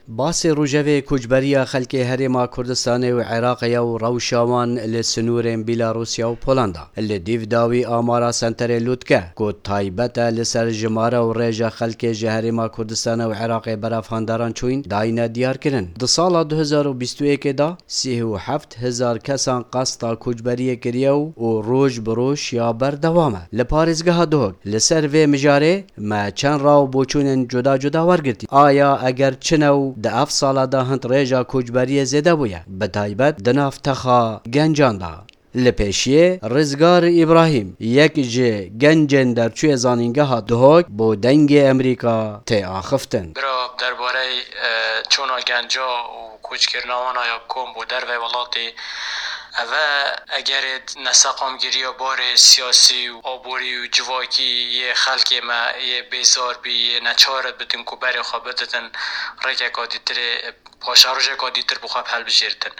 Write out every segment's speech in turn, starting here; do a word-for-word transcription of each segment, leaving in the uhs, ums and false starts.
Basê rojevê koçberiya xelkê Herêma Kurdistanê û Iraqê ya û rewşa wan li sinûrên Bîlarûsya û Polanda. Li dîv dawî amara Senterê Lûtke, ku taybet e li ser jimare û rêja xelkê ji Herêma Kurdistanê û Iraqê berevhandaran çûyîn, dayîne diyarkirin. Di sala du hezar û bîst û yekê de sî û heft hezar kesan qesta koçberiyê kiriye û, û roj bi roj ya berdewam e. Li parêzgeha Duhok, li ser vê mijarê me çend raw boçûnên cuda cuda wergirtî. Aya eger çi ne û di ev sala de hind rêja koçberiyê zêde bûye, bi taybet di nav texa gencan de. Li pêşiyê Rizgar Îbrahîm, yek ji gencên derçûyê zanîngeha Duhok, bo Dengê Emerîka tê axiftin. Bira, derbarey, e, çûna genca û koçkirina wan a ya bi kom bo dervey welatê, ev e egerê neseqamgiriya barê siyasî û aborî û civakî yê xelkê me yê bêzar bî, yê neçar bitin ku berê xwe bididin rêkeka dîtirê, paşerojeka dîtir bi xwe bi helbijêrtin.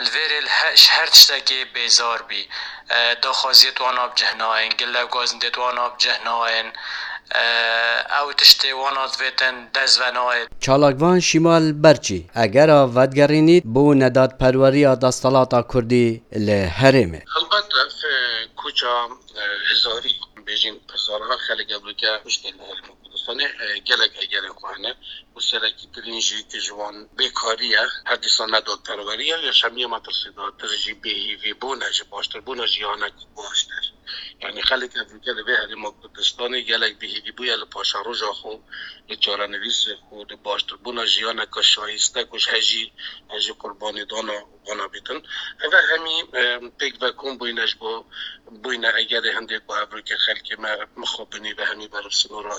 Li vêrê li he-, ji her tiştekê bêzar bî. E, daxwaziyê wana bi cih nayên, gilevgazindê wana bi cih nayên. E, ew tiştê wana divêtin dest ve nayê. Çalakvan Şîmal Berçî, egera vedigerînît bo nedatperweriya desthilata Kurdî li herêmê. Helbet ev, e, koça, e, hezarî, bêjin hezarha xelk evroke kuştin li Herêma Kurdistanê, e, gelek egerên xwe hene. Û serekîtirîn jî ji wan bêkarî ye, her dîsa nedatperwerî ye, yaşamiya metirsîdartir jî bêhîvîbûn e ji baştirbûna jiyanek baştir. Yanî xelk evroke li vê Herêma Kurdistanê gelek bêhîvî bûye li paşeroja xwe, li çarenivîsê xwe, li baştirbûna jiyaneke şayiste ku ji hejî, hejî qurbanî dana wana bîtin. Ev e hemî, e, pêk ve kom bûyne ji bo bûyne egerê hindê ku evroke xelkê me mixabinî ve hemî ber bi sinora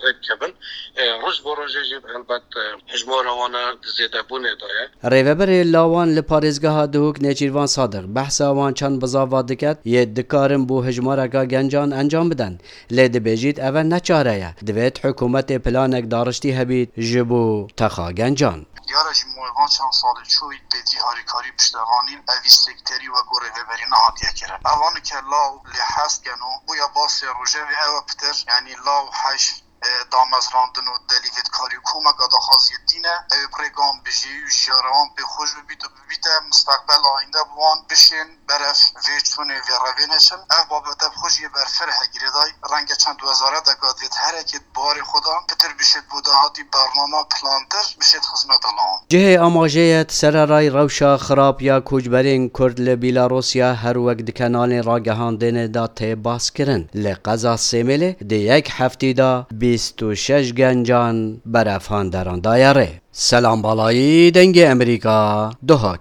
rêdikevin. E, roj bo rojê jî helbet, e, hijmara wana di zêdebûnê de ye. Rêveberê lawan li parêzgeha Duhok Nêçîrvan Sadiq behsa wan çend bizava diket yê dikarin bo hijmareka gencan encam bidin. Lê dibêjît ev ne çare ye. Divêt hikûmetê planek dariştî hebît ji bo texa gencan. Diyar e ji mûyê van çend salê çûyî pêdî harîkarî piştevanîn evî sekterî wek û rêveberî nehatiye kirin. Evan ke law lê hez ken û bûye basê rojevê ew e pitir, yanî law hej, e, damezrandin û delîvêtkarî û komeka daxwaziyê tîne, ew ê bi rêkan bijî û jiyara wan pê xweş bibît û bibîte misteqbel ayînde bi wan bişên berev vê çûnê vê revê neçin. Ev babet ev xwe jî yê berfireh e girêdayî. Renge çend wezareteka divêt herekê di barê xwe de pitir bişêt bo dahatî bernama plantir bişêt xizmeta lawan. Cihê amajê ye di sererayî rewşa xirab ya koçberên Kurd li Bîlarûsya her wek di kenalên ragihandinê de tê baskirin. Li qeza Sêmêlê di yek heftî de bîst û şeş gencan berevhanderan daye rê. Selam Balayî, Dengê Emerîka, Duhok.